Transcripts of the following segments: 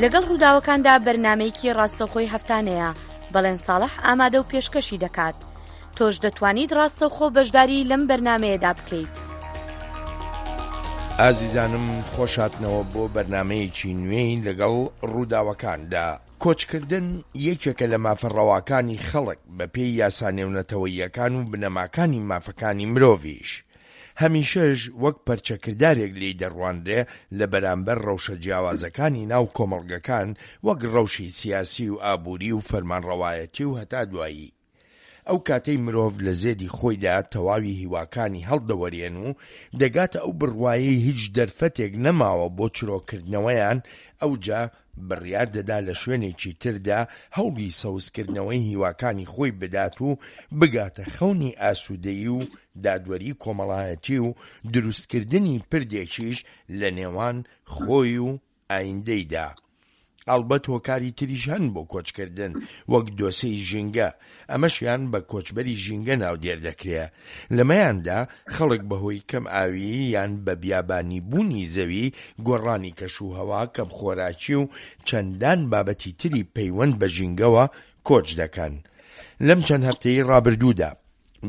لەگەڵ ڕووداوەکاندا بەرنامەیەکی ڕاستەوخۆی هەفتانەیە، بەڵێن ساڵح ئامادە و پێشکەشی دەکات. تۆش دەتوانیت ڕاستەوخۆ بەشداری لەم بەرنامەیەدا بکەیت. ئازیزانم خۆشهاتنەوە بۆ بەرنامەیەکی نوێی لەگەڵ ڕووداوەکاندا. کۆچکردن یەکێکە لە مافە ڕەواکانی خەڵک بەپێی یاسا نێونەتەوەییەکان و بنەماکانی مافەکانی مرۆڤیش. هەمیشەش وەک پەرچەکردارێک لێی دەڕوانرێ لە بەرامبەر ڕەوشە جیاوازەکانی ناو کۆمەڵگەکان وەک ڕەوشی سیاسی و ئابووری و فەرمانڕەوایەتی و هەتا دوایی. ئەو کاتەی مرۆڤ لە زێدی خۆیدا تەواوی هیواکانی هەڵدەوەرێن و دەگاتە ئەو بڕوایەی هیچ دەرفەتێک نەماوە بۆ چرۆکردنەوەیان ئەوجا بڕیار دەدا لە شوێنێکی تردا هەوڵی سەوزکردنەوەی هیواکانی خۆی بدات و بگاتە خەونی ئاسوودەیی و دادوەری کۆمەڵایەتی و دروستکردنی پردێکیش لە نێوان خۆی و ئایندەیدا. ئەڵبەت هۆکاری تریش هەن بۆ کۆچکردن وەک دۆسێی ژینگە، ئەمەشیان بە کۆچبەری ژینگە ناودێر دەکرێ. لەمەیاندا خەڵک بەهۆی کەم ئاویی یان بە بیابانی بوونی زەوی، گۆڕانی کەشوهەوا، کەمخۆراکی و چەندان بابەتی تری پەیوەند بە ژینگەوە کۆچ دەکەن. لەم چەند هەفتەی ڕابردوودا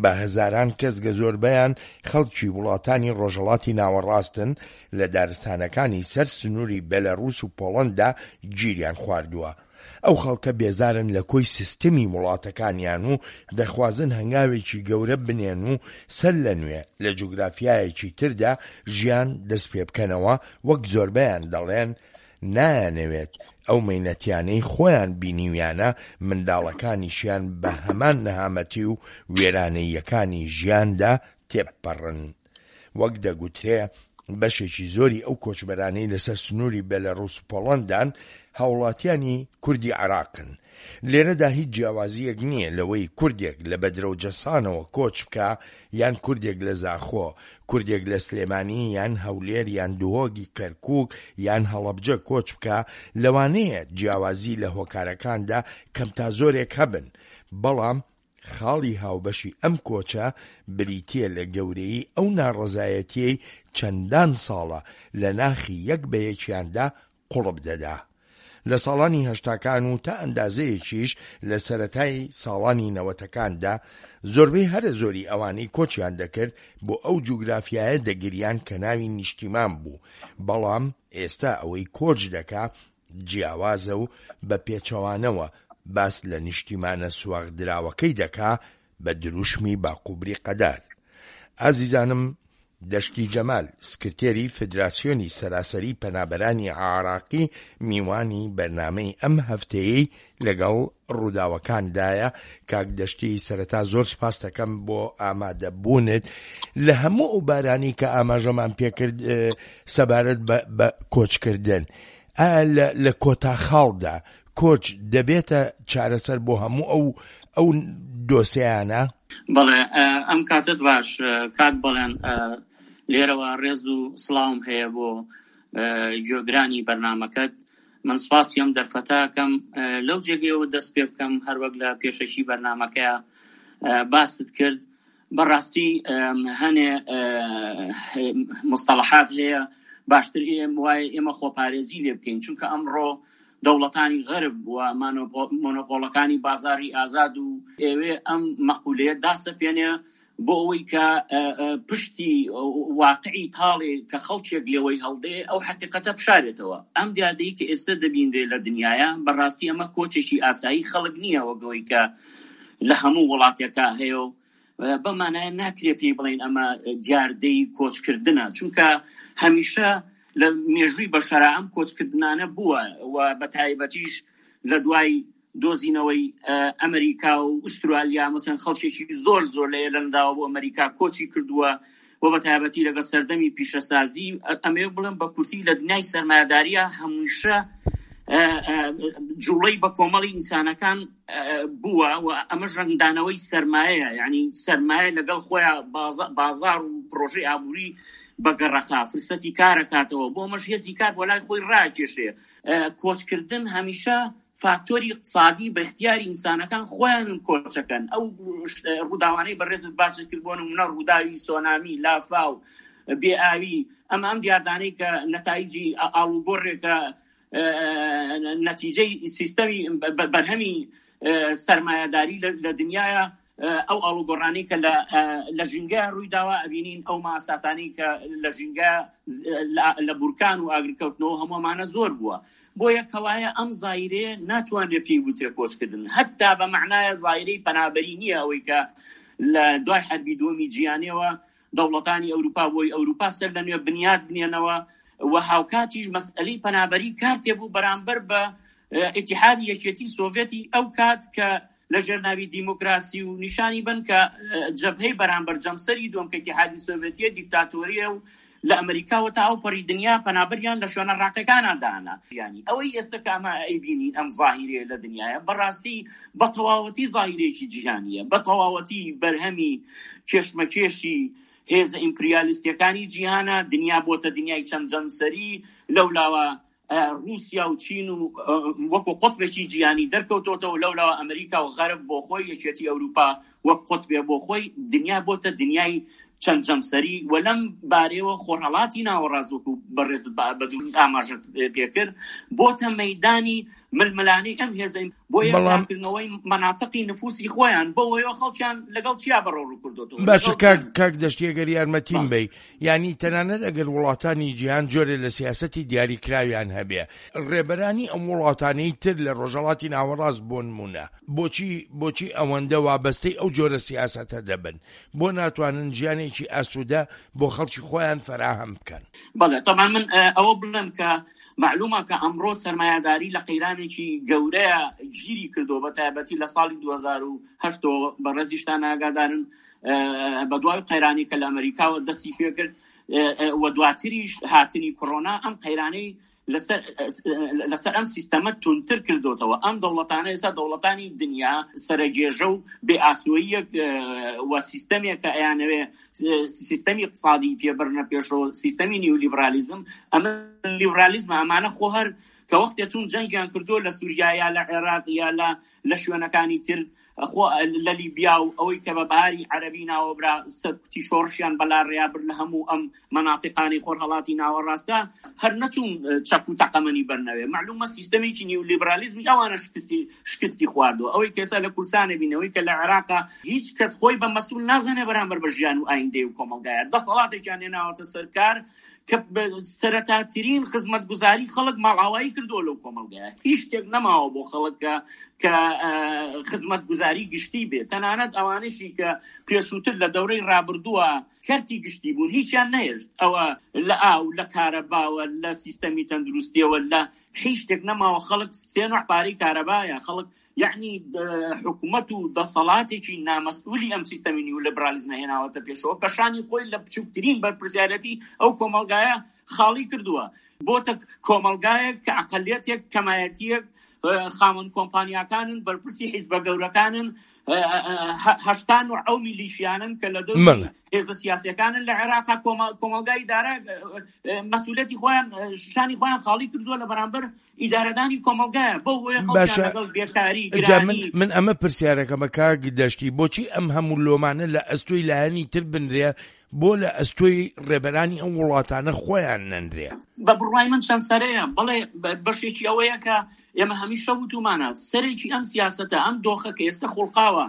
بە هەزاران کەس گە زۆربەیان خەڵکی وڵاتانی ڕۆژهەڵاتی ناوەڕاستن لە دارستانەکانی سەر سنووری بێلاروس و پۆڵەندا گیریان خواردووە. ئەو خەڵکە بێزارن لە کۆی سیستمی وڵاتەکانیان و دەخوازن هەنگاوێکی گەورە بنێن و سەر لە نوێ لە جوگرافیایەکی تردا ژیان دەستپێبکەنەوە وەک زۆربەیان دەڵێن نایانەوێت ئەو مەینەتیانەی خۆیان بینیویانە منداڵەکانیشیان بە هەمان نەهامەتی و وێرانەییەکانی ژیاندا تێبپەڕن. وەک دەگوترێ بەشێکی زۆری ئەو کۆچبەرانەی لەسەر سنووری بێلەڕوس و پۆڵەندان هاوڵاتیانی کوردی عێراقن. لێرەدا هیچ جیاوازییەک نییە لەوەی کوردێک لە بەدرە و جەسانەوە کۆچ بکا یان کوردێک لە زاخۆ، کوردێک لە سلێمانی یان هەولێر یان دهۆک کەرکوک یان هەڵەبجە کۆچ بکا، لەوانەیە جیاوازی لە هۆکارەکاندا کەم تا زۆرێک هەبن، بەڵام خاڵی هاوبەشی ئەم کۆچە بریتییە لە گەورەیی ئەو ناڕەزایەتییەی چەندان ساڵە لە ناخی یەک بە یەکیاندا قوڵپ دەدا. لە ساڵانی هەشتاکان و تا ئەندازەیەکیش لە سەرەتای ساڵانی نەوەتەکاندا زۆربەی هەرە زۆری ئەوانەی کۆچیان دەکرد بۆ ئەو جوگرافیایە دەگریان کە ناوی نیشتیمان بوو، بەڵام ئێستا ئەوەی کۆچ دەکا جیاوازە و بە پێچەوانەوە باس لە نیشتیمانە سواغدراوەکەی دەکا بە دروشمی باقوبریقەدار. ئازیزانم دەشتی جەمال، سکرتێری فدراسیۆنی سەراسەری پەنابەرانی عێراقی میوانی بەرنامەی ئەم هەفتەیەی لەگەڵ ڕووداوەکاندایە. کاک دەشتی سەرەتا زۆر سپاستەکەم بۆ ئامادەبوونت لە هەموو ئەو بارانەی کە ئاماژەمان پێکرد سەبارەت بە کۆچکردن. ئایا لە کۆتا خاڵدا کۆچ دەبێتە چارەسەر بۆ هەموو ئەو ئەو دۆسیانە؟ بەڵێ ئەم کاتت باش کاک بەڵێن لێرەوە ڕێز و سڵاوم هەیە بۆ گوێگرانی بەرنامەکەت من سپاسی ئەم دەرفەتە ئەکەم لەو جێگەیەوە دەست پێ بکەم هەروەک لە پێشەکی بەرنامەکەیا باست کرد بەڕاستی هەنێ مستەڵەحات هەیە باشتر وایە ئێمە خۆپارێزی لێ بکەین چونکە ئەمڕۆ دەوڵەتانی غەرب و مۆنۆپۆڵەکانی بازاری ئازاد و ئێوێ ئەم مەقولەیە داسەپێنێ بۆ ئەوەی کە پشتی واقعی تاڵێ کە خەڵکێک لێوەی هەڵدێ ئەو حەقیقەتە بشارێتەوە. ئەم دیاردەی کە ئێستە دەبینرێ لە دنیایا بەڕاستی ئەمە کۆچێکی ئاسایی خەڵک نییە وەک ئەوەی کە لە هەموو وڵاتێکا هەیە و بەم مانایە ناکرێ پێی بڵێین ئەمە دیاردەی کۆچکردنە چونکە هەمیشە لە مێژووی بەشەرا ئەم کۆچکردنانە بووە و بە تایبەتیش لە دوای دۆزینەوەی ئەمریکا و ئوسترالیا مەسەن خەڵکێکی زۆر زۆر لە ئێرلەنداوە بۆ ئەمریکا کۆچی کردووە و بە تایبەتی لەگەڵ سەردەمی پیشەسازی ئەمەوێ بڵێم بە کورتی لە دنیای سەرمایەداریە هەمیشە جوڵەی بە کۆمەڵی ئینسانەکان بووە و ئەمەش ڕەنگدانەوەی سەرمایەیە یعنی سەرمایە لەگەڵ خۆیان بازار و پرۆژەی ئابووری بەگەڕەخا فرسەتی کارەکاتەوە بۆ ئەمەش هێزی کار بۆ لای خۆی ڕاکێشێ کۆچکردن هەمیشە فاکتۆری اقتصادی بە اختیاری ئینسانەکان خۆیانن کۆچەکەن ئەو ڕووداوانەی بەڕێزت باست کرد بۆ نمونە ڕووداوی سۆنامی لافاو بێ ئاوی ئەمە ئەم دیاردانەی کە نەتایجی ئاڵوگۆڕێکە. نەتیجەی سیستەمی بەرهەمی سەرمایەداری لە دنیاە ئەو ئاڵوگۆڕانەی کە لە ژینگە ڕووی داوە ئەبینین ئەو ماساتانی کە لە ژینگە لە بورکان و ئاگرکەوتنەوە هەموومانە زۆر بووە بۆیە کەوایە ئەم زایرەیە ناتوانرێت پێی وترێ کۆچکردن هەتا بە مەعنایە زایرەی پەنابەری نییە ئەوەی کە لە دوای حەربی دووەمی جیهانیەوە دەوڵەتانی ئەوروپا بۆی ئەوروپا سەر لە نوێ بنیات بنێنەوە و هاوکاتیش مەسئلەی پەنابەری کارتێ بوو بەرامبەر بە ئیتیحادی یەکێتی سۆڤێتی ئەو کات کە لە ژێر ناوی دیموکراسی و نیشانی بن کە جەبهەی بەرامبەر جەمسەری دووەم کە ئیتیحادی سۆڤێتیە دیکتاتۆریە و لە ئەمریکاوە تا ئەو پەڕی دنیا پەنابەریان لە شوێنە ڕاقەکانان دانا. یانی ئەوەی ئێستا کە ئەمە ئەیبینین ئەم زاهیرەیە لە دنیایە بەڕاستی بە تەواوەتی زاهیرەیەکی جیهانیە، بە تەواوەتی بەرهەمی کێشمەکێشی هێزە ئیمپریالیستیەکانی جیهانە، دنیا بۆتە دنیای چەند جەمسەری، لەولاوە ڕووسیا و چین و وەکو قوتبێکی جیهانی دەرکەوتۆتەوە، لەولاوە ئەمریکا و غەرب بۆ خۆی، یەکێتی ئەوروپا وەک قوتبێ بۆ خۆی، دنیا بۆتە دنیای چەند جەمسەری و لەم بارەیەوە خۆرهەڵاتی ناوەڕاست وەکو بەڕێزت بە ئاماژەت پێکرد بۆتە مەیدانی ململانێی ئەم هێزە بۆ بەڵام یەکلاکردنەوەی مەناتقی نفوسی خۆیان بەو هۆیەوە خەڵکیان لەگەڵ چیا بەڕەوڕوو کردۆتەوە باشە لەگەڵ کاک جەنگ. کاک دەشتی ئەگەر یارمەتیم بەڵێ. بەی یانی تەنانەت ئەگەر وڵاتانی جیهان جۆرێ لە سیاسەتی دیاریکراویان هەبێ ڕێبەرانی ئەم وڵاتانەی تر لە ڕۆژهەڵاتی ناوەڕاست بۆنمونە بۆچی بۆچی ئەوەندە وابەستەی ئەو جۆرە سیاسەتە دەبن بۆ ناتوانن ژیانێکی ئاسوودە بۆ خەڵکی خۆیان فەراهەم بکەن؟ بەڵێ تەبعەن من ئەوە بڵێم کە مەعلومە کە ئەمڕۆ سەرمایەداری لە قەیرانێکی گەورەیە گیری کردووە بە تایبەتی لە ساڵی 2008 ەوە بەڕێزیشتان ئاگادارن بە دوای قەیرانی کە لە ئەمریکاوە دەستی پێکرد و دواتریش هاتنی کۆرۆنا ئەم قەیرانەی لەسەر لەسەر ئەم سیستەمە توندتر کردۆتەوە ئەم دەوڵەتانە ئێستا دەوڵەتانی دنیا سەرەگێژە و بێ ئاسۆییەک و سیستەمێک کە ئەیانەوێ سیستەمی اقتصادی پێ بەرنە پێشەوە سیستەمی نیولیبرالیزم ئەمە لیبرالیزمە ئەمانە خۆ هەر کە وەختێ چوون جەنگیان کردووە لە سووریا یا لە عێراق یا لە لە شوێنەکانی تر خۆ لە لیبیا و ئەوەی کە بە بەهاری عەرەبی ناوەبرا سەرکوتی شۆڕشیان بەلاڕێیا برد لە هەموو ئەم مەناتیقانەی خۆرهەڵاتی ناوەڕاستدا هەر نەچوون چەک و تەقەمەنی بەرنەوێ مەعلومە سیستەمێکی نیولیبرالیزمی ئەوانە شکستی شکستی خواردووە ئەوەی کە ئێستا لە کوردستانە بین ئەوەی کە لە عێراقا هیچ کەس خۆی بە مەسئول نازانێ بەرامبەر بە ژیان و ئایندەی و کۆمەڵگایە دەسەڵاتێکیان هێناوەتە سەر کار کە سەرەتاترین خزمەتگوزاری خەڵک ماڵئاوایی کردووە لەو کۆمەڵگایە هیچ شتێک نەماوە بۆ خەڵک کە کە خزمەتگوزاری گشتی بێت تەنانەت ئەوانەشی کە پێشووتر لە دەورەی ڕابردووە کەرتی گشتی بوون هیچیان نەهێشت ئەوە لە ئاو لە کارەباوە لە سیستەمی تەندروستیەوە لە هیچ شتێک نەماوە خەڵک سێ نوع پارەی کارەبایە خەڵک یەعنی حکومەت و دەسەڵاتێکی نامەسئولی ئەم سیستەمی نیولیبرالیزمە هێناوەتە پێشەوە کە شانی خۆی لە بچووکترین بەرپرسیارەتی ئەو کۆمەڵگایە خاڵی کردووە بۆتە کۆمەڵگایەک کە ئەقەلیەتێک کەمایەتیەک خاوەن کۆمپانیاکانن بەرپرسی حیزبە گەورەکانن هەشتان و ئەو میلیشیانن کە لە دەوری هێزە سیاسەکانن لە عێراق کۆمەڵگای ئیدارە مەسئولەتی خۆیان شانی خۆیان خاڵی کردووە لە بەرامبەر ئیدارەدانی کۆمەڵگایە بەو هۆیە خەڵکیان باشە لەگەڵ بێکاری جا من گرانی من ئەمە پرسیارەکەمە کاک دەشتی بۆچی ئەم هەموو لۆمانە لە ئەستۆی لایەنی تر بنرێ بۆ لە ئەستۆی ڕێبەرانی ئەم وڵاتانە خۆیان نەنرێ؟ بە بڕوای من چەند سەرەیە بەڵێ بەشێکی ئەوەیە کە ئێمە هەمیشە وتومانە سەرێکی ئەم سیاسەتە ئەم دۆخە کە ئێستا خوڵقاوە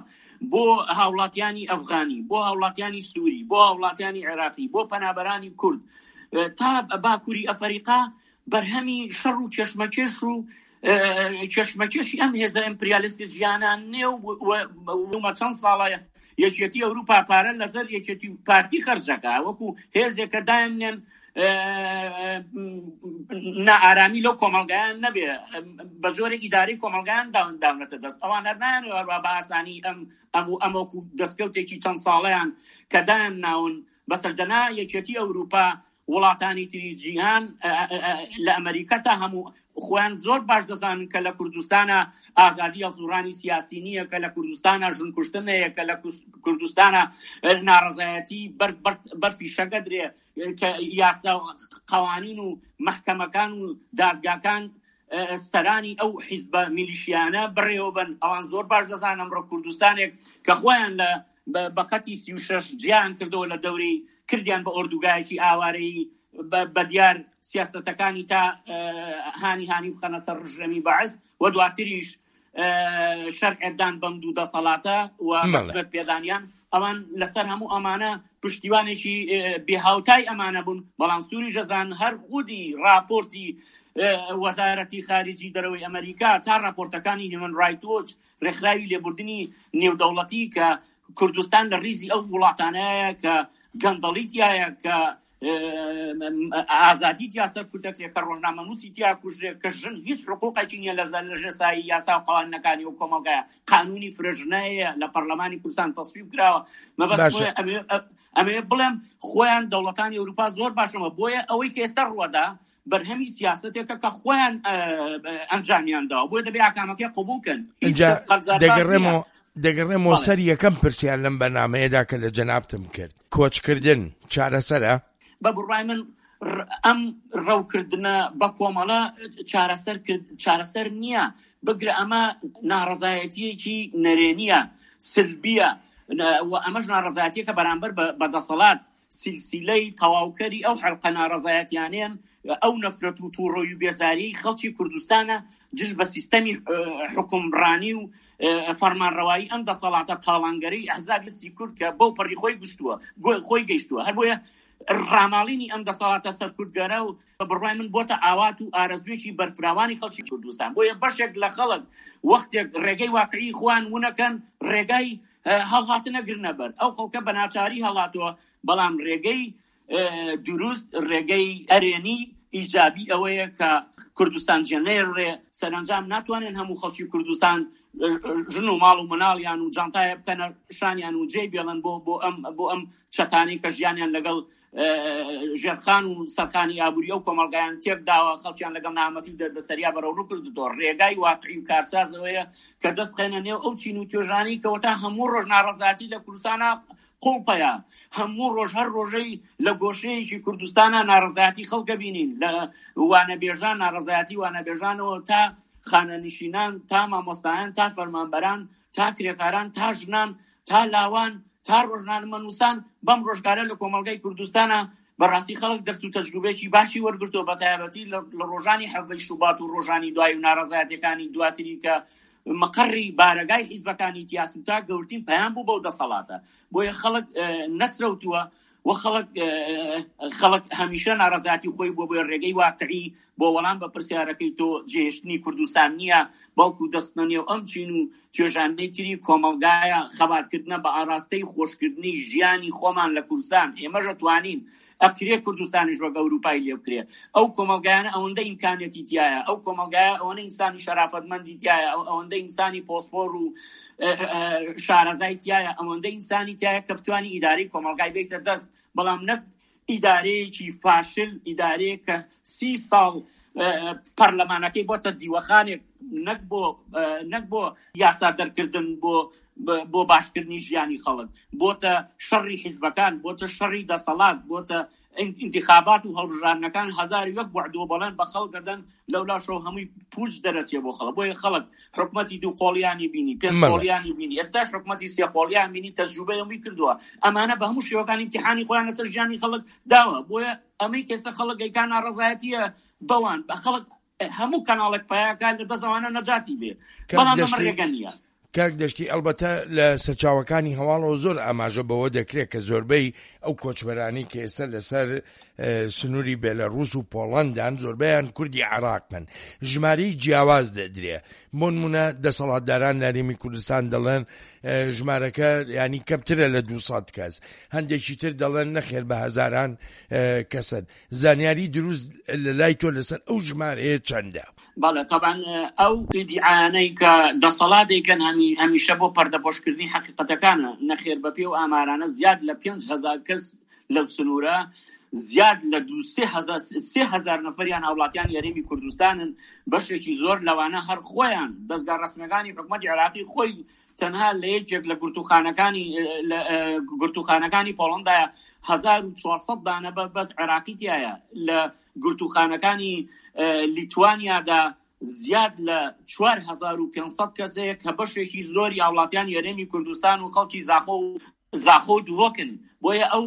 بۆ هاوڵاتیانی ئەفغانی بۆ هاوڵاتیانی سووری بۆ هاوڵاتیانی عێراقی بۆ پەنابەرانی کورد تا باکووری ئەفەریقا بەرهەمی شەڕ و کێشمەکێش و کێشمەکێشی ئەم هێزە ئیمپریالیستی جیهانان نێ و چەند ساڵە یەکێتی ئەوروپا پارە لەسەر یەکێتی و پارتی خەرجەکە وەکو هێزێکە دایاننێن نائارامی لەو کۆمەڵگایان نەبێ بە جۆرێک ئیدارەی کۆمەڵگایان داونەتە دەست ئەوان هەر نایانەوێ بە ئاسانی ئەم ئەم و ئەمەکو دەستکەوتێکی چەند ساڵەیان کە دایان ناون بەسەر دەنا یەکێتی ئەوروپا وڵاتانی تری جیهان لە ئەمریکا تا هەموو خۆیان زۆر باش دەزانن کە لە کوردستانە ئازادی هەڵسوڕانی سیاسی نییە کە لە کوردستانە ژن کوشتن هەیە کە لە کوردستانە ناڕەزایەتی بەر فیشەکە درێ کە یاسا قوانین و محکەمەکان و دادگاکان سەرانی ئەو حیزبە میلیشیانە بڕێوەبن ئەوان زۆر باش دەزانن ئەمڕۆ کوردستانێک کە خۆیان لە بە خەتی 36 جیان کردەوە لە دەوری کردیان بە ئۆردوگایەکی ئاوارەیی. بە دیار سیاسەتەکانی تا هانی هانی بخەنە سەر ڕژێمی بەعس و دواتریش شەرعێتدان بەم دوو دەسەڵاتە و ڕەسمیەت پێدانیان ئەوان لەسەر هەموو ئەمانە پشتیوانێکی بێهاوتای ئەمانە بوون بەڵام سووری ژەزان هەر خودی راپۆرتی وەزارەتی خارجی دەرەوەی ئەمریکا تا راپۆرتەکانی هیومن ڕایت وۆچ ڕێکخراوی لێبوردنی نێودەوڵەتی کە کوردستان لە ریزی ئەو وڵاتانەیە کە گەندەڵی تایە کە ئازادی تیا سەرکوت دەکرێت کە ڕۆژنامەنووسی تیا کوژرێت کە ژن هیچ حقوقێکی نییە لە لەژێر سایەی یاسا و قوانینەکانی ئەو کۆمەڵگایە قانونی فرەژنەیە لە پەرلەمانی کوردستان تەسویب کراوە مەبەست باشە بۆیە ئەمێ ئەمێ بڵێم خۆیان دەوڵەتانی ئەوروپا زۆر باشەوە بۆیە ئەوەی کە ئێستا ڕووەدا بەرهەمی سیاسەتێکە کە خۆیان ئەنجامیان داوە بۆیە دەبێ ئاکامەکەی قبوڵ کەن هیچ ئینجا کەس قەرزاربار نییە دەگەڕێمەوە دەگەڕێمەوە بەڵێ سەر یەکەم پرسیار لەم بەرنامەیەدا کە لە جەنابتم کرد کۆچکردن چارەسەرە؟ بە بڕوای من ئەم ڕەوکردنە بە کۆمەڵە چارەسەر کرد چارەسەر نییە بگرە ئەمە ناڕەزایەتییەکی نەرێنییە سلبیە و ئەمەش ناڕەزایەتیەکە بەرامبەر بە دەسەڵات سیلسیلەی تەواوکەری ئەو حەلقە ناڕەزایەتیانەیەن، ئەو نەفرەت و توڕەیی و بێزاریەی خەڵکی کوردستانە دژ بە سیستەمی حوکمڕانی و فەرمانڕەوایی ئەم دەسەڵاتە تاڵانگەرەی ئەحزابی سی کورد کە بەو پەڕی خۆی گشتووە خۆی گەیشتووە. هەر بۆیە ڕاماڵینی ئەم دەسەڵاتە سەرکوتگەرە و بە بڕوای من بۆتە ئاوات و ئارەزوویەکی بەرفراوانی خەڵکی کوردستان. بۆیە بەشێک لە خەڵک وەختێک ڕێگەی واقعی خۆیان ونەکەن ڕێگای هەڵهاتنە گرنە بەر ئەو خەڵکە بە ناچاری هەڵاتووە بەڵام ڕێگەی دروست ڕێگەی ئەرێنی ئیجابی ئەوەیە کە کوردستان جێنەیەڕێ سەرەنجام ناتوانن هەموو خەڵکی کوردستان ژن و ماڵ و مناڵیان و جانتایە بکەنە شانیان و جێ بێڵن بۆ بۆ ئەم بۆ ئەم چەتانەی کە ژیانیان لەگەڵ ژێرخان و سەرخانی ئابووری ئەو کۆمەڵگایان تێکداوە، خەڵکیان لەگەڵ نەهامەتی و دەردەسەریا بەرەوڕوو کردووە. ڕێگای واقعی و کارساز ئەوەیە کە دەست بخەینە نێو ئەو چین و توێژانەی کەوەتا هەموو ڕۆژ ناڕەزایەتی لە کوردستانا قوڵپەیە، هەموو ڕۆژ هەر ڕۆژەی لە گۆشەیەکی کوردستانا ناڕەزایەتی خەڵک ئەبینین، لە وانەبێژان ناڕەزایەتی وانەبێژانەوە تا خانەنشینان تا مامۆستایان تا فەرمانبەران تا کرێکاران تا ژنان تا لاوان تا ڕۆژنامەنووسان بەم ڕۆژگارە لە کۆمەڵگای کوردستانە بەڕاستی خەڵک دەست و تەجروبەیەکی باشی وەرگرتووە بە تایبەتی لە ڕۆژانی حەڤەی شوبات و ڕۆژانی دوای و ناڕەزایەتیەکانی دواتری کە مقەڕی بارەگای حیزبەکانی تیا سووتا گەورترین پەیام بوو بەو دەسەڵاتە بۆیە خەڵک نەسرەوتووە و خەڵک خەڵک هەمیشە ناڕەزایەتی خۆی بووە بۆیە ڕێگەی واقعی بۆ وەڵام بە پرسیارەکەی تۆ جێهێشتنی کوردستان نییە بەڵکو دەستنە نێو ئەم چین و توێژانەی تری کۆمەڵگایە خەباتکردنە بە ئاراستەی خۆشکردنی ژیانی خۆمان لە کوردستان ئێمەش ئەتوانین ئەکرێ کوردستانیش وەک ئەوروپای لێ بکرێ ئەو کۆمەڵگایانە ئەوەندە ئیمکانیەتی تیایە ئەو کۆمەڵگایە ئەوەنە ئینسانی شەرافەتمەندی تیایە ئەو ئەوەندە ئینسانی پۆسپۆر و شارەزای تیایە ئەوەندە ئینسانی تیایە کە بتوانی ئیدارەی کۆمەڵگای بێتە دەست بەڵام نەک ئیدارەیەکی فاشل ئیدارەیەک کە سی ساڵ پەرلەمانەکەی بۆتە دیوەخانێک نەک بۆ نەک بۆ یاسا دەرکردن بۆ بۆ باشکردنی ژیانی خەڵک بۆتە شەڕی حیزبەکان بۆتە شەڕی دەسەڵات بۆتە ئینتیخابات و هەڵبژاردنەکان 1001 وعد و بەڵێن بە خەڵک دەدەن لەولاشەوە هەمووی پوچ دەرەچێ بۆ خەڵک بۆیە خەڵک حکومەتی دوو قۆڵیانی بینی پێنج قۆڵیانی بینی ئێستاش حکومەتی سێ قۆڵیان بینی تەجروبەی هەمووی کردووە ئەمانە بە هەموو شێوەکان ئیمتیحانی خۆیان لەسەر ژیانی خەڵک داوە بۆیە ئەمەی کەسە خەڵک ئەیکا ناڕەزایەتیە بەوان بە خەڵک هەموو کەناڵێک پایەکە لە دەست ئەوانە نەجاتی بێ بەڵام ئەمە ڕێگە نییە. کاک دەشتی ئەڵبەتە لە سەرچاوەکانی هەواڵەوە زۆر ئاماژە بەوە دەکرێت کە زۆربەی ئەو کۆچبەرانی کە ئێستا لەسەر سنووری بێلەڕووس و پۆڵەندان زۆربەیان کوردی عێراقن ژمارەی جیاواز دەدرێ بۆنمونە دەسەڵاتداران لە هەرێمی کوردستان دەڵێن ژمارەکە ینی کەمترە لە 200 کەس هەندێکی تر دەڵێن نەخێر بە هەزاران کەسن زانیاری دروست لە لای تۆ لەسەر ئەو ژمارەیە چەندە؟ بەڵێ تەبعەن ئەو ئیدیعایانەی کە دەسەڵات دەیکەن هەمیشە بۆ پەردەپۆشکردنی حەقیقەتەکانە، نەخێر بەپێی ئەو ئامارانە زیاد لە 5000 کەس لەو سنوورە زیاد لە دوو سێ هەزار 3000 نەفەریان هاوڵاتیانی هەرێمی کوردستانن، بەشێکی زۆر لەوانە هەر خۆیان دەزگا ڕەسمیەکانی حکومەتی عێراقی خۆی تەنها لە یەکێک لە گرتووخانەکانی گرتووخانەکانی پۆڵەندایە 1400 دانە بە بەس عێراقی تایە لە گرتووخانەکانی لیتوانیادا زیاد لە 4500 کەس هەیە کە بەشێکی زۆری هاوڵاتیانی هەرێمی کوردستان و خەڵکی زاخۆ و. زاخۆ و دهۆکن، بۆیە ئەو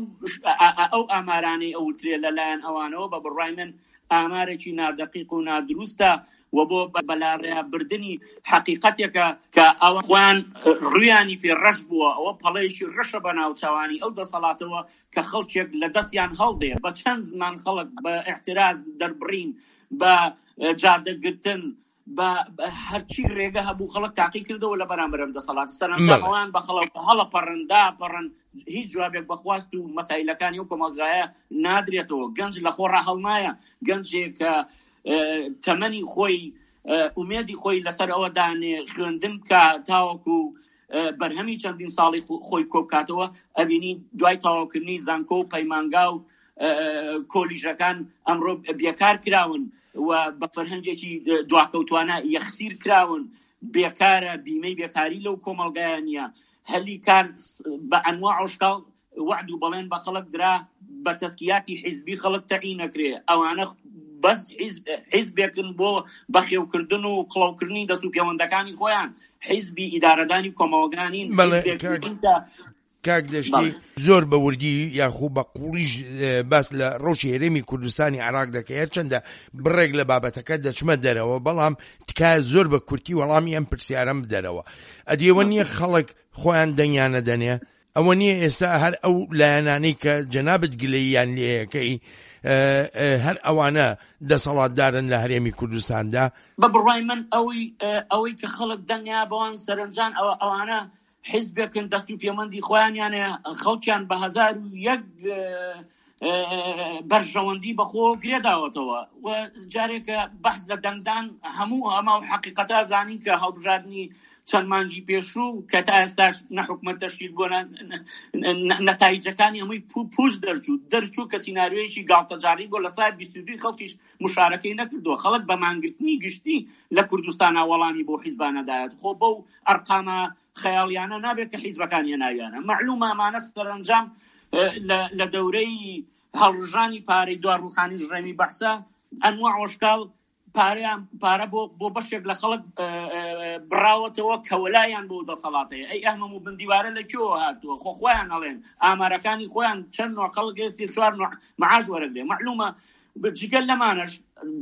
ئەو ئامارانەی ئەوترێ لە لایەن ئەوانەوە بە بڕوای من ئامارێکی نادەقیق و نادروستە و بۆ بەلاڕێیا بردنی حەقیقەتێکە کە ئەوان خۆیان ڕوویانی پێ ڕەش بووە، ئەوە پەڵەیەکی ڕەشە بە ناوچاوانی ئەو دەسەڵاتەوە کە خەڵکێک لە دەستیان هەڵدێ، بە چەند زمان خەڵک بە ئیعتراز دەربڕین، بە جادە گرتن، بە هەرچی رێگە هەبوو خەڵک تاقی کردەوە لە بەرامبەر ئەم دەسەڵاتە، سەرەنجام ئەوان بە خەڵک هەڵەپەڕن داپەڕن، هیچ جوابێک بە خواست و مەسایلەکانی ئەو کۆمەڵگایە نادرێتەوە، گەنج لە خۆڕا هەڵنایە، گەنجێک کە تەمەنی خۆی ئومێدی خۆی لەسەر ئەوە دانێ خوێندن بکا تاوەکو بەرهەمی چەندین ساڵی خۆی کۆبکاتەوە، ئەبینی دوای تەواوکردنی زانکۆ و پەیمانگا و کۆلیژەکان ئەمڕۆ بێکار کراون و بە فەرهەنگێکی دواکەوتوانە یەخسیر کراون، بێکارە، بیمەی بێکاری لەو کۆمەڵگایە نییە، هەلی کار بە ئەنواع و شکاڵ وەعد و بەڵێن بە خەڵک درا بە تەزکیاتی حیزبی خەڵک تەعین نەکرێ، ئەوانە بەس حیزبێکن بۆ بەخێوکردن و قڵەوکردنی دەست و پێوەندەکانی خۆیان، حیزبی ئیدارەدانی کۆمەڵگا نین، حیزبێک نین کە کاک دەشتی زۆر بە وردی یاخو بە قوڵیش باس لە ڕەوشی هەرێمی کوردستانی عێراق دەکەی هەرچەندە بڕێک لە بابەتەکە دەچمە دەرەوە بەڵام تکایە زۆر بە کورتی وەڵامی ئەم پرسیارەم بدەرەوە ئەدی ئەوە نییە خەڵک خۆیان دەنگیان نەدەنێ ئەوە نییە ئێستا هەر ئەو لایەنانەی کە جەنابت گلەییان لێیەکەی هەر ئەوانە دەسەڵاتدارن لە هەرێمی کوردستاندا؟ بە بڕوای من ئەوەی ئەوەی کە خەڵک دەنگیا بەوان سەرەنجان ئەوە ئەوانە حیزبێکن دەست و پێوەندی خۆیانیان هەیە، خەڵکیان بە 1001 بەرژەوەندی بەخۆ گرێداوەتەوە و جارێکە بەحس لە دەنگدان هەموو ئەمە و حەقیقەتە زانین کە هەڵبژاردنی چەند مانگی پێشوو کە تا ئێستاش نە حکومەت تەشکیل بووە نەتایجەکانی هەمووی پووچ دەرچوو دەرچوو کە سیناریۆیەکی گاڵتەجاڕی بۆ لە سای 22 خەڵکیش مشارەکەی نەکردووە خەڵک بە مانگرتنی گشتی لە کوردستانە وەڵامی بۆ حیزبانە دایەت خۆ بەو ئەرقامە خەیاڵیانە نابێت کە حیزبەکان هێناویانە مەعلومە ئەمانە سەرەنجام لە دەورەی هەڵڕژانی پارەی دوا ڕوخانی ژڕێمی بەعسە ئەنواع وەشکاڵ پارەیان پارە بۆ بۆ بەشێک لە خەڵک بڕاوەتەوە کە وەلایان بۆ دەسەڵاتەیە ئەی ئەهمەم و بندیوارە لە کوێوە هاتووە خۆ خۆیان ئەڵێن ئامارەکانی خۆیان چەند نوع خەڵک ئێستی چوار نوع معاش وەرەگرێ مەعلومە جگە لەمانەش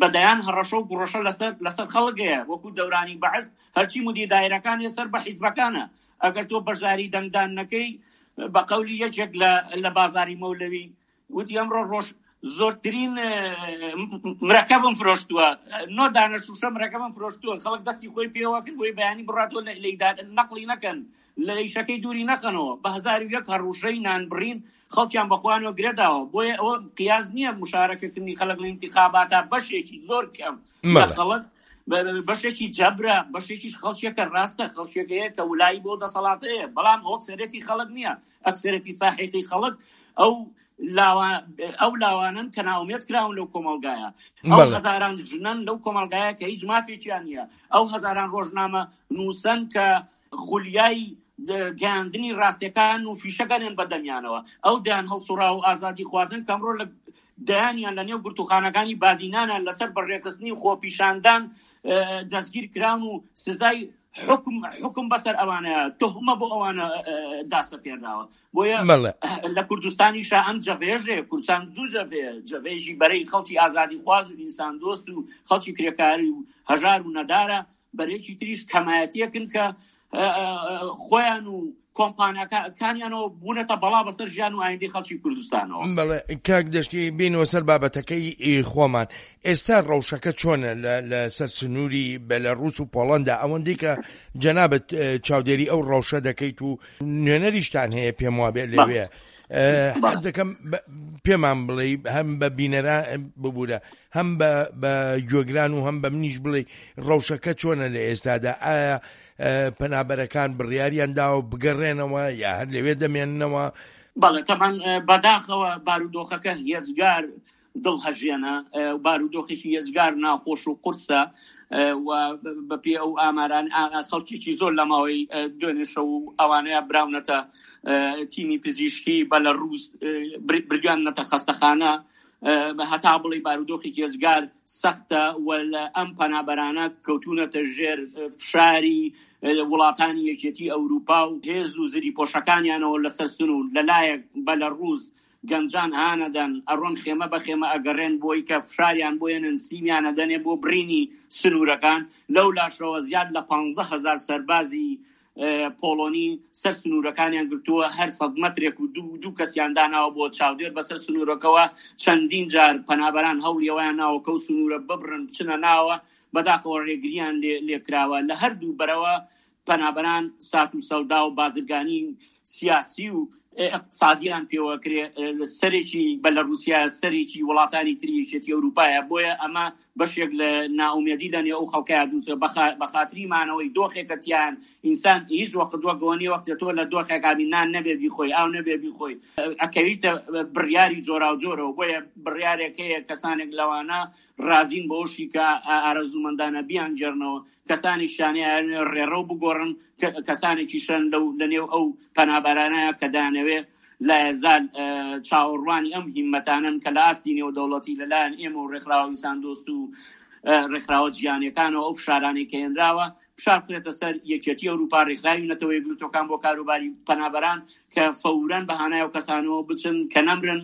بە دەیان هەڕەشە و گوڕەشە لەسەر لەسەر خەڵک هەیە وەکو دەورانی بەعس هەرچی مدیر دایرەکان سەر بە حیزبەکانە ئەگەر تۆ بەشداری دەنگدان نەکەی بە قەولی یەکێک لە لە بازاری مەولەوی وتی ئەمڕۆ ڕۆژ زۆرترین مرەکەبم فرۆشتووە نۆ دانە شوشە مرەکەبم فرۆشتووە خەڵک دەستی خۆی پێوە کرد بۆی بەیانی بڕاتەوە لە نەقلی نەکەن لە ئیشەکەی دووری نەخەنەوە بە 1001 هەڕوشەی نانبڕین خەڵکیان بەخۆیانەوە گرێداوە بۆیە ئەوە قیاس نییە مشارەکەکردنی خەڵک لە ئینتیخاباتا بەشێکی زۆر کەم لە خەڵک بەشێکی جەبرە بەشێکیش خەڵکێکە ڕاستە خەڵکێکەیە کە ولایی بۆ دەسەڵاتەیە بەڵام ئەوەکسەرێتی خەڵک نییە ئەکسەرێتی ساحیقی خەڵک ئەو ئەو لاوانن کە ناومێت کراون لەو کۆمەلگایە ئەو هەزاران ژنەن لەو کۆمەلگایە کە هیچ مافێکیان نییە ئەو هەزاران ڕۆژنامە نووسن کە خولیای گەیاندنی ڕاستیەکان و فیشەکەنێن بە دەمیانەوە ئەو دەیان هەڵسوڕاو و ئازادی خوازن کە ئەمڕۆ لە دەیانیان لە نێو گرتوخانەکانی بادینانە لەسەر بەڕێخستنی خۆپیشاندان دەستگیر کراون و سزای حکم حکم بەسەر ئەوانە تهمە بۆ ئەوانە داسەپێنراوە بۆیە لە کوردستانیشا ئەم جەبێژێ کوردستان دوو جەبێ جەبێژی بەرەی خەڵکی ئازادی خواز و ئینسان دۆست و خەڵکی کرێکاری و هەژار و نەدارە بەرێکی تریش کەمایەتیەکن کە خۆیان و کۆمپانیاکانیانەوە بوونەتە بەڵا بەسەر ژیان و ئایندەی خەڵکی کوردستانەوە. بەڵێ کاک دەشتی بینەوە سەر بابەتەکەی خۆمان ئێستا ڕەوشەکە چۆنە لە سەر سنووری بەلەڕوس و پۆڵەندا ئەوەندەی کە جەنابت چاودێری ئەو ڕەوشە دەکەیت و نوێنەریشتان هەیە پێم وابێ لەوێ حەز دەکەم پێمان بڵێ هەم بە بینەران ببوورە هەم بە گوێگران و هەم بە منیش بڵێ ڕەوشەکە چۆنە لە ئێستادا ئایا پەنابەرەکان بڕیاریان داوە بگەڕێنەوە یا هەر لەوێ دەمێننەوە؟ بەڵێ تەبعەن بەداخەوە بارودۆخەکە هێجگار دڵهەژێنە، بارودۆخێکی هێجگار ناخۆش و قورسە و بەپێی ئەو ئاماران خەڵکێکی زۆر لە ماوەی دوێنێ شەو و ئەوانەیە براونەتە تیمی پزیشکی بەلەڕووس بردویاننەتە خەستەخانە هەتا بڵێی بارودۆخێکی ئێجگار سەختە و لە ئەم پەنابەرانە کەوتوونەتە ژێر فشاری. وڵاتانی یەکێتی ئەوروپا و هێز و زریپۆشەکانیانەوە لەسەر سنوور لەلایەک بەلەڕووس گەنجان هانەدەن ئەڕۆن خێمە بە خێمە ئەگەڕێن بۆی کە فشاریان بۆ یەنن سیمیان ئەدەنێ بۆ بڕینی سنوورەکان لەو لاشەوە زیاد لە 15 هەزار سەربازی پۆڵۆنی سەر سنوورەکانیان گرتووە هەر سەد مەترێک و دوو دوو کەسیان داناوە بۆ چاودێر بەسەر سنوورەکەوە چەندین جار پەنابەران هەوڵی ئەوەیان ناوە کەو سنوورە ببڕن بچنە ناوە بەداخەوە ڕێگریان لێ لێکراوە لە هەردوو بەرەوە پەنابەران سات و سەودا و بازرگانی سیاسی و ئیقتسادیان پێوەکرێ سەرێکی بەلەڕوسیا سەرێکی وڵاتانی تری یەکێتی ئەوروپایە بۆیە ئەمە بەشێک لە نائومێدی لە نێو ئەو خەڵکەیا دروست بە خاتری مانەوەی دۆخێکە تیان ئینسان هیچ وەخت وەک ئەوە نیە وەختێ تۆ لە دۆخێکا بی نان نەبێ بیخۆی ئاو نەبێ بیخۆی ئەکەویتە بڕیاری جۆراوجۆرەوە بۆیە بڕیارێک هەیە کەسانێک لەوانە ڕازین بەوەشی کە ئارەزوومەندانە بیانگێڕنەوە کەسانێکیشان ئەیانەوێ ڕێڕەو بگۆڕن، کەسانێکیشن لەو لەنێو ئەو پەنابەرانە کە دەیانەوێ لایەزال چاوەڕوانی ئەم هیممەتانەن کە لە ئاستی نێودەوڵەتی لەلایەن ئێمە و ڕێکخراوە ئینساندۆست و ڕێکخراوە جیهانیەکانەوە ئەو فشارانەی کە هێنراوە فشار بخرێتە سەر یەکێتی ئەوروپا، ڕێکخراوی نەتەوە یەکگرتووەکان بۆ کاروباری پەنابەران کە فەورەن بە هانای ئەو کەسانەوە بچن کە نەمرن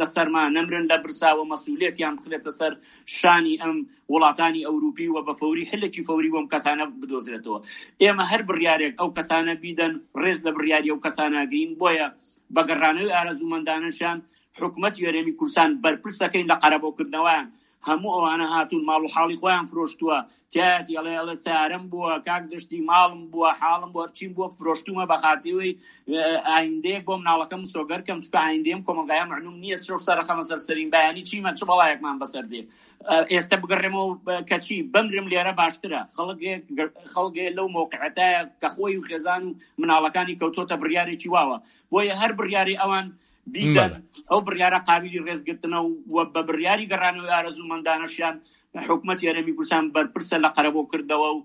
لە سەرما، نەمرن لە برسا و مەسئولیەتیان بخرێتە سەر شانی ئەم وڵاتانی ئەوروپی و بە فەوری حلێکی فەوری بۆ ئەم کەسانە بدۆزرێتەوە. ئێمە هەر بڕیارێک ئەو کەسانە بیدەن ڕێز لە بڕیاری ئەو کەسانە ئەگرین، بۆیە بە گەڕانەوەی ئارەزوومەندانەشیان حکومەتی هەرێمی کوردستان بەرپرسەکەین لە قەرەبۆکردنەوەیان، هەموو ئەوانە هاتوون ماڵ و حاڵی خۆیان فرۆشتووە تیایەتی ئەڵێ ئەڵێ سیارەم بووە کاک دەشتی ماڵم بووە حاڵم بووە هەرچیم بووە فرۆشتومە بە خاتری ئایندەیەک بۆ مناڵەکەم مسۆگەر کەم چونکە ئایندەیەم کۆمەڵگایە مەعلوم نییە شەو سەرەخەمە سەر سەرین بەیانی چیمە چ بەڵایەکمان بەسەر دێ ئێستا بگەڕێمەوە کەچی بمرم لێرە باشترە خەڵکێک خەڵکێ لەو مۆقعەتایە کە خۆی و خێزان و مناڵەکانی کەوتۆتە بڕیارێکی واوە بۆیە هەر بڕیاری ئەوان بیدەن، ئەو بڕیارە قابیلی ڕێزگرتنە و بە بڕیاری گەڕانەوەی ئارەزوومەندانەشیان حکومەتی هەرێمی کوردستان بەرپرسە لە قەرەبووکردنەوە و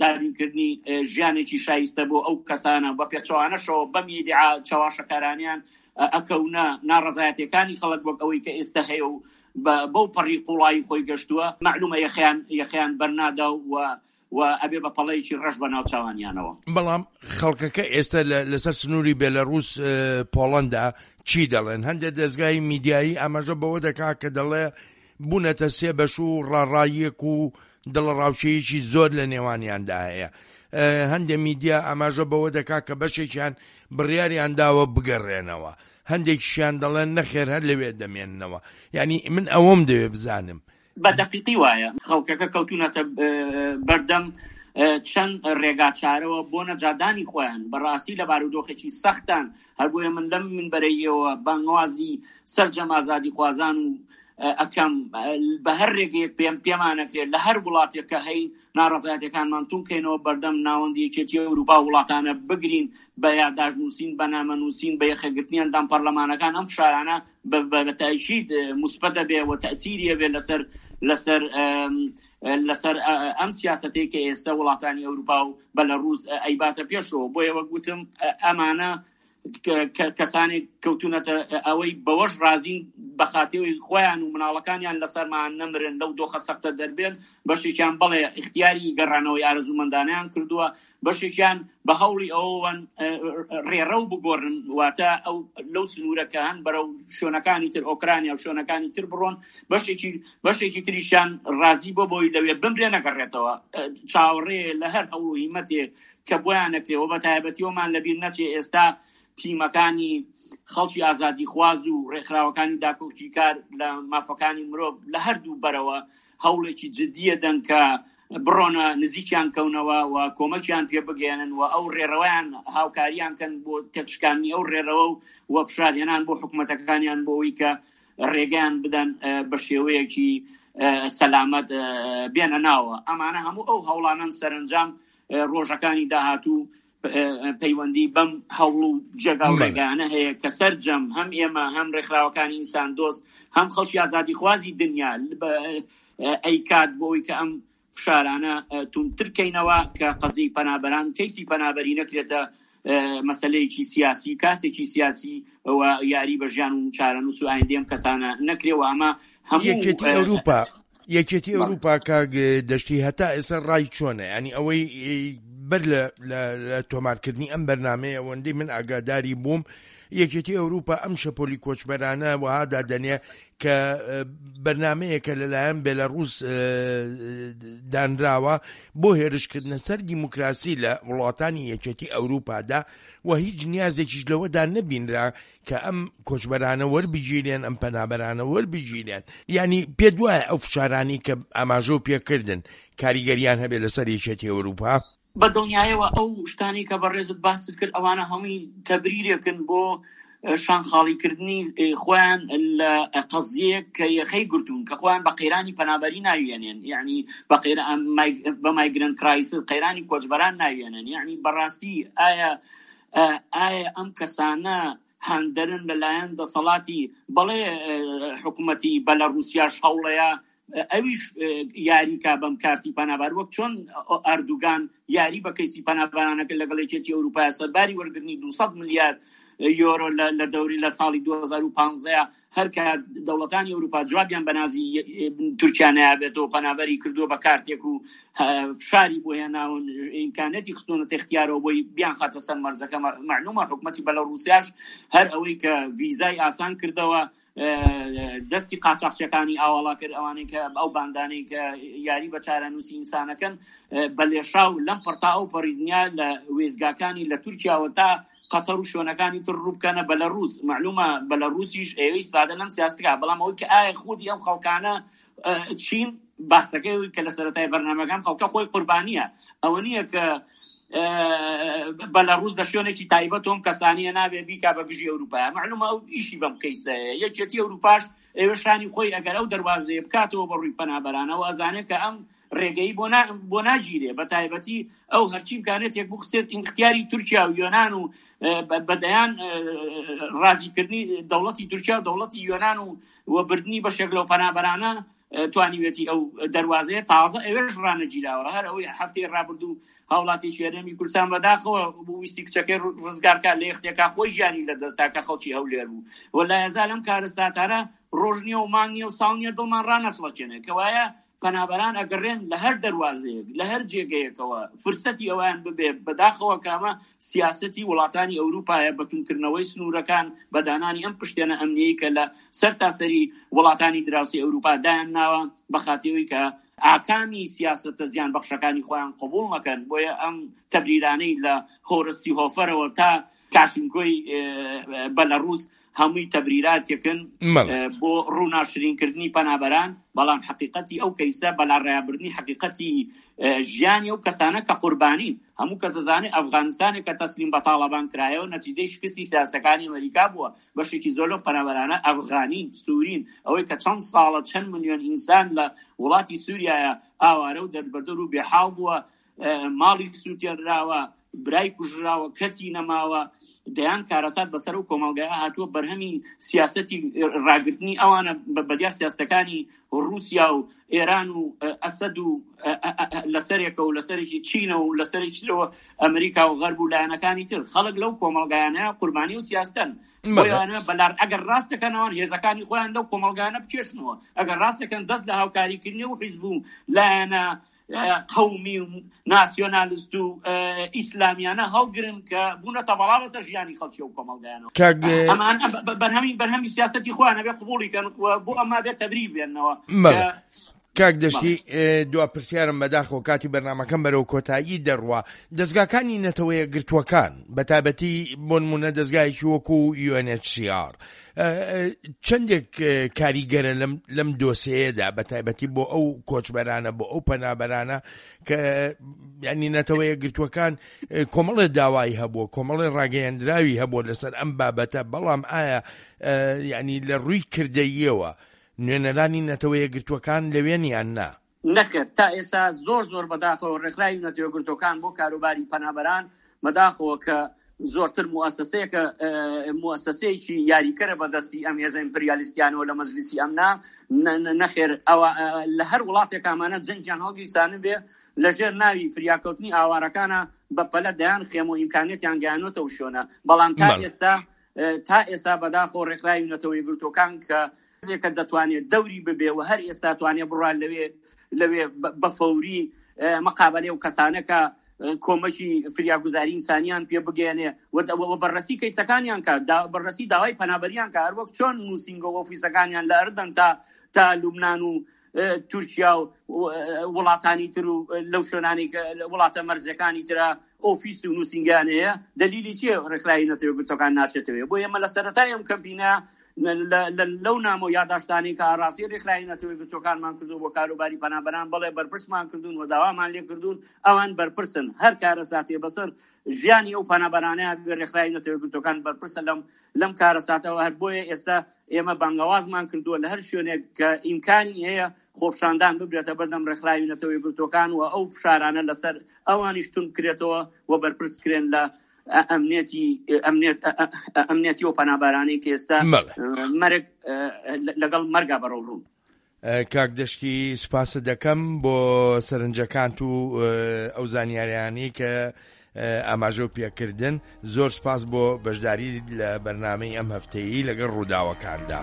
دابینکردنی ژیانێکی شایستە بۆ ئەو کەسانە، بە پێچەوانەشەوە بەم ئیدعا چەواشەکارانەیان ئەکەونە ناڕەزایەتیەکانی خەڵک وەک ئەوەی کە ئێستە هەیە و بەو پەڕی قوڵایی خۆی گەشتووە مەعلومە یەخەیان یەخەیان بەرنادا و و ئەبێ بە پەڵەیەکی ڕەش بە ناوچاوانیانەوە. بەڵام خەڵکەکە ئێستا لەسەر سنووری بێلەڕووس پۆڵەندا چی دەڵێن؟ هەندێک دەزگای میدیایی ئاماژە بەوە دەکا کە دەڵێ بوونەتە سێ بەش و ڕاڕاییەک و دڵەڕاوکێیەکی زۆر لە نێوانیاندا هەیە. هەندێک میدیا ئاماژە بەوە دەکا کە بەشێکیان بڕیاریان داوە بگەڕێنەوە، هەندێکیشیان دەڵێن نەخێر هەر لەوێ دەمێننەوە. یانی من ئەوەم دەوێ بزانم بە دەقیقی وایە خەڵکەکە کەوتونەتە بەردەم چەند ڕێگا چارەوە بۆ نەجاتدانی خۆیان بەڕاستی لە بارودۆخێکی سەختان هەر بۆیە من لەم منبەرەیەوە بانگەوازی سەرجەم ئازادیخوازان و ئەکەم بە هەر ڕێگەیەک پێم پێمانەکرێت لە هەر وڵاتێک کە هەین ناڕەزایەتەکانمان تونکەینەوە بەردەم ناوەندی یەکێتی ئەوروپا وڵاتانە بگرین بە یاداشت نووسین بە نامە نووسین بە یەخەگرتنی ئەندام پەرلەمانەکان ئەم فشارانە بە تەئکید موسبەت دەبێ و تەئسیری ئەبێ لەسەر لەسەر لەسەر ئەم سیاسەتەی کە ئێستا وڵاتانی ئەوروپا و بەلەڕووس ئەیباتە پێشەوە. بۆیە وەک وتم ئەمانە کەسانێک کەوتونەتە ئەوەی بەوەش ڕازین بە خاتری خۆیان و مناڵەکانیان لەسەرمان نەمرن لەو دۆخە سەختە دەربێن. بەشێکیان بەڵێ ئیختیاری گەڕانەوەی ئارەزوومەندانەیان کردووە، بەشێکیان بە هەوڵی ئەوەوەن ڕێڕەو بگۆڕن، واتە ئەو لەو سنوورە کە هەن بەرەو شوێنەکانی تر ئۆکرانیا و شوێنەکانی تر بڕۆن، بەشێکی بەشێکی تریشیان ڕازی بۆ بۆی لەوێ بمرێ نەگەڕێتەوە. چاوەڕێ لە هەر هەوڵ و هیمەتێ کە بۆیان نەکرێ و بە تایبەتی ئەومان لەبیر نەچێ ئێستا تیمەکانی خەڵکی ئازادیخواز و ڕێکخراوەکانی داکۆکیکار لە مافەکانی مرۆڤ لە هەردوو بەرەوە هەوڵێکی جددی ئەدەن کە بڕۆنە نزیکیان کەونەوە و کۆمەکیان پێ بگەیەنن و ئەو ڕێڕەوەیان هاوکاریان کەن بۆ تێکشکاندنی ئەو ڕێڕەوە و فشارهێنان بۆ حکومەتەکانیان بۆ ئەوەی کە ڕێگەیان بدەن بە شێوەیەکی سەلامەت بێنە ناوە. ئەمانە هەموو ئەو هەوڵانەن سەرەنجام ڕۆژەکانی داهاتوو پەیوەندی بەم هەوڵ و جێگا و ڕێگایانە هەیە کە سەرجەم هەم ئێمە هەم ڕێکخراوەکانی ئینسان دۆست هەم خەڵکی ئازادیخوازی دنیا ئەیکات بۆ ئەوی کە ئەم فشارانە توندتر کەینەوە کە قەزیەی پەنابەران کەیسی پەنابەری نەکرێتە مەسەلەیەکی سیاسی کارتێکی سیاسی و یاری بە ژیان و چارەنووس و ئایندەی ئەم کەسانە نەکرێ و ئەمە هەموو یەکێتی ئەوروپا یەکێتی ئەوروپا کاک دەشتی هەتا ئێستا ڕای چۆنە ینی ئەوەی بەر لە تۆمارکردنی ئەم بەرنامەیە ئەوەندەی من ئاگاداری بووم یەکێتی ئەوروپا ئەم شەپۆلی کۆچبەرانە وەها دادەنێ کە بەرنمەیەکە لەلایەن بێلەڕوس دانراوە بۆ هێرشکردنە سەر دیموکراسی لە وڵاتانی یەکێتی ئەوروپادا و هیچ نیازێکیش لەوەدا نەبینرا کە ئەم کۆچبەرانە وەربگیرێن ئەم پەنابەرانە وەربگیرێن یعنی پێت وایە ئەو فشارانی کە ئاماژە و پێکردن کاریگەریان هەبێت لەسەر یەکێتی ئەوروپا؟ بە دڵنیایەوە ئەو شتانەی کە بەڕێزت باست کرد ئەوانە هەمووی تەبریرێکن بۆ شان خاڵیکردنی خۆیان لە قەزیەیەک کە یەخەی گرتوون کە خۆیان بە قەیرانی پەنابەری ناویێنێن یعنی بە بە مایگرنت کرایسس قەیرانی کۆچبەران ناویێنن یعنی بەڕاستی ئایا ئایا ئەم کەسانە هاندەرن لەلایەن دەسەڵاتی بەڵێ حکوومەتی بەلەڕوسیاش هەوڵەیە ئەویش یاری کا بەم کارتی پەنابار وەک چۆن ئەردوگان یاری بە کەیسی پەنابەرانەکە لەگەڵ یەکێتی ئەوروپا سەرباری وەرگرتنی 200 ملیار یۆرۆ لە دەوری لە ساڵی 2015 هەر کە دەوڵەتانی ئەوروپا جوابیان بە نازی تورکیا نابێتەوە پەنابەری کردووە بە کارتێک و فشاری بۆ هێناون ئیمکانەتی خستۆنەتە اختیارەوە بۆی بیان خاتە سەر مەرزەکە معلومە حکوومەتی بەلەڕوسیاش هەر ئەوەی کە ڤیزای ئاسان کردەوە دەستی قاچاخچەکانی ئاواڵا کرد ئەوانەی کە ئەو باندانەی کە یاری بە چارەنووسی ئینسانەکەن بە لێشاو لەم پڕتا ئەو پەڕی دنیا لە وێزگاکانی لە تورکیاوە تا قەتەر و شوێنەکانی تر ڕووبکەنە بەلەڕوس معلومە بەلەڕوسیش ئەوەی ئیسفادە لەم سیاستکە بەڵام ئەوەی کە ئایا خودی ئەم خەڵکانە چین باسەکەی کە لە سەرەتای بەرنامەکان خەڵکە خۆی قوربانیە ئەوە نییە کە بەلەڕوس لە شوێنێکی تایبەت ئەم کەسانیە نابێ بیکا بە گژی ئەوروپا معلومە ئەو ئیشی بەم کەیسەیە یەکێتی ئەوروپاش ئێوە شانی خۆی ئەگەر ئەو دەروازەیە بکاتەوە بە ڕووی پەنابەرانەوە ئەزانێت کە ئەم ڕێگەی بۆ بۆ ناگیرێ بە تایبەتی ئەو هەرچی بکانێتێک بخسێت ئینختیاری تورکیا و یۆناان و بەدەیان ڕازیکردنی دەوڵەتی تورکیا و دەوڵەتی یۆناان و و بردنی بەشێک لەو پەنابەرانە توانیوێتی ئەو دەروازەیە تازە ئەوێش ڕانەگیراوە هەر ئەوەی هەفتەی ڕابردوو هاوڵاتیەکی هەرێمی کوردستان بەداخەوە ویستی کچەکەی ڕزگارکە لە یەختێکا خۆی گیانی لە دەستدا کە خەڵکی هەولێر بوو و لا یەزال ئەم کارەساتانە ڕۆژ نییە و مانگ نییە و ساڵ نییە دڵمان ڕانەچڵەکێنێ کەوایە پەنابەران ئەگەڕێن لە هەر دەروازەیەک لە هەر جێگەیەکەوە فرسەتی ئەویان ببێ بەداخەوە کامە سیاسەتی وڵاتانی ئەوروپایە بە توندکردنەوەی سنوورەکان بە دانانی ئەم پشتێنە ئەمنیەی کە لە سەرتاسەری وڵاتانی دراوسێی ئەوروپا دایانناوە بە خاتری کە ئاکامی سیاسەتە زیانبەخشەکانی خۆیان قبوڵ نەکەن بۆیە ئەم تەبریرانەی لە هۆرست سیهۆفەرەوە تا کاشینکۆی بەلەڕوس هەمووی تەبریراتێکن بۆ ڕووناشرینکردنی پەنابەران، بەڵام حەقیقەتی ئەو کەیسە بەلاڕێیابردنی حەقیقەتی ژیانی ئەو کەسانە کە قوربانین. هەموو کەس دەزانێت ئەفغانستانێک کە تەسلیم بە تاڵەبان کرایەوە نەتیجەی شکستی سیاسەتەکانی ئەمەریکا بووە. بەشێکی زۆر لەو پەنابەرانە ئەفغانین، سورین. ئەوەی کە چەند ساڵە چەند ملیۆن ئینسان لە وڵاتی سوریایە ئاوارە و دەربەدەر و بێحاڵ بووە، ماڵی سووتێنراوە، برای کوژراوە، کەسی نەماوە، دەیان کارەسات بەسەر ئەو کۆمەڵگایە هاتووە، بەرهەمی سیاسەتی ڕاگرتنی ئەوانە بەدیار سیاستەکانی ڕووسیا و ئێران و ئەسەد و لەسەرێکە و لەسەرێکی چینە و لەسەرێکی ترەوە ئەمریکا و غەرب و لایەنەکانی تر خەڵک لەو کۆمەڵگایانە قوربانی و سیاستەن بۆیانە بەلار ئەگەر ڕاست دەکەنەوە هێزەکانی خۆیان لەو کۆمەڵگانە بکێشنەوە ئەگەر ڕاست دەکەن دەست لە هاوکاریکردنی و حیزب و لایەنە قەومی و ناسیۆنالست و ئیسلامیانە هەڵگرن کە بوونەتە بەڵا بەسەر ژیانی خەڵکی و کۆمەڵگایانەوە. کاک ئەمان بەرهەمی بەرهەمی سیاسەتی خۆیان ئەبێ قبوڵی کەن و بۆ ئەمە بێت تەبریب بێنەوە. بەڵێ. کاک دەشتی دوا پرسیارم بەداخەوە کاتی بەرنامەکەم بەرەو کۆتایی دەڕوا دەزگاکانی نەتەوەیەکگرتووەکان بەتایبەتی بۆ نمونە دەزگایەکی وەکو UNHCR چەندێک کاریگەرە لەم لەم دۆسێیەدا بە تایبەتی بۆ ئەو کۆچبەرانە بۆ ئەو پەنابەرانە کە ینی نەتەوە یەکگرتووەکان کۆمەڵێ داوای هەبووە کۆمەڵێ ڕاگەیەندراوی هەبووە لەسەر ئەم بابەتە بەڵام ئایا ینی لە ڕووی کردەییەوە نوێنەرانی نەتەوە یەکگرتووەکان لەوێن یان نا؟ نەخێر تا ئێستا زۆر زۆر بەداخەوە ڕێکخراوی نەتەوەیەکگرتووەکان بۆ کاروباری پەنابەران بەداخەوە کە زۆرتر موئەسەسەیەکە موئەسەسەیەکی یاریکەرە بە دەستی ئەم هێزە ئیمپریالیستیانەوە لە مەجلیسی ئەمنا نەخێر ئەوە لە هەر وڵاتێک ئەمانە جەنگیان هەڵگیرسانبێ لەژێر ناوی فریاکەوتنی ئاوارەکانە بە پەلە دەیان خێمە و ئیمکانیەتیان گەیانۆتە و شوێنە بەڵام تا ئێستا تا ئێستا بەداخەوە ڕێکخراوی نەتەوە یەکگرتووەکان کە کە دەتوانێت دەوری ببێ و هەر ئێستا توانێ بڕوا لەوێ لەوێ بە فەوری مقابلێ و کەسانەکە. کۆمەکی فریاگوزاری ئینسانیان پێ بگەیەنێ و بەڕەسی کەیسەکانیان کە بەڕەسی داوای پەنابەریان کە هەروەک چۆن نووسینگە و ئۆفیسەکانیان لە ئەردەن تا تا لوبناان و تورکیا و وڵاتانی تر و لەو شوێنانی کە وڵاتە مەرزەکانی ترا ئۆفیس و نووسینگەیان هەیە دەلیلی چیە ڕێکخراوی نەتەوە یەکگرتووەکان ناچێتەوە بۆ ئێمە لە سەرەتای ئەم کەمپینە لەو نامە و یاداشتانەی کە ئاڕاستەی ڕێکخراوی نەتەوە یەکگرتووەکانمان کردووە بۆ کاروباری پەنابەران بەڵێ بەرپرسمان کردوون و داوامان لێکردوون ئەوان بەرپرسن هەر کارەساتێ بەسەر ژیانی ئەو پەنابەرانەیان بێ ڕێکخراوی نەتەوە یەکگرتووەکان بەرپرسە لەم لەم کارەساتەوە هەر بۆیە ئێستا ئێمە بانگەوازمان کردووە لە هەر شوێنێک کە ئیمکانی هەیە خۆپشاندان ببرێتە بەردەم ڕێکخراوی نەتەوە یەکگرتووەکان و ئەو فشارانە لەسەر ئەوانیش توند بکرێتەوە و بەرپرس کرێن لە ئەمنیەتی ئەمنیەت ئەمنیەتی و پەنابەرانەی کە ئێستا مەرگ لەگەڵ مەرگا بەرەوڕوون. کاک دەشتی سوپاست دەکەم بۆ سەرنجەکانت و ئەو زانیاریانەی کە ئاماژە و پێکردن زۆر سپاس بۆ بەشداری لە بەرنمەی ئەم هەفتەیە لەگەڵ ڕووداوەکاندا.